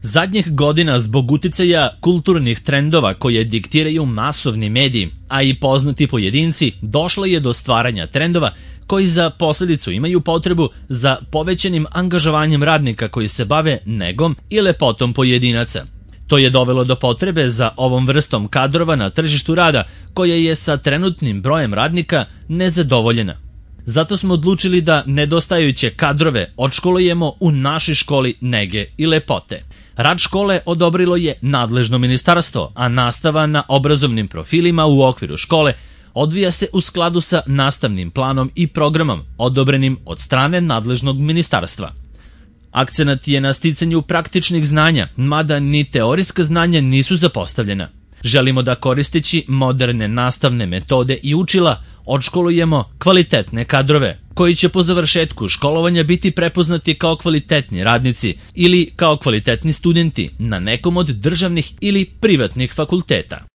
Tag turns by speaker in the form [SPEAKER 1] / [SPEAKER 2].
[SPEAKER 1] Zadnjih godina zbog uticaja kulturnih trendova koje diktiraju masovni mediji, a i poznati pojedinci, došlo je do stvaranja trendova koji za posljedicu imaju potrebu za povećanim angažovanjem radnika koji se bave negom i lepotom pojedinaca. To je dovelo do potrebe za ovom vrstom kadrova na tržištu rada koja je sa trenutnim brojem radnika nezadovoljena. Zato smo odlučili da nedostajuće kadrove odškolujemo u našoj školi nege i lepote. Rad škole odobrilo je nadležno ministarstvo, a nastava na obrazovnim profilima u okviru škole odvija se u skladu sa nastavnim planom i programom odobrenim od strane nadležnog ministarstva. Akcenat je na sticanju praktičnih znanja, mada ni teorijska znanja nisu zapostavljena. Želimo da koristeći moderne nastavne metode i učila odškolujemo kvalitetne kadrove, koji će po završetku školovanja biti prepoznati kao kvalitetni radnici ili kao kvalitetni studenti na nekom od državnih ili privatnih fakulteta.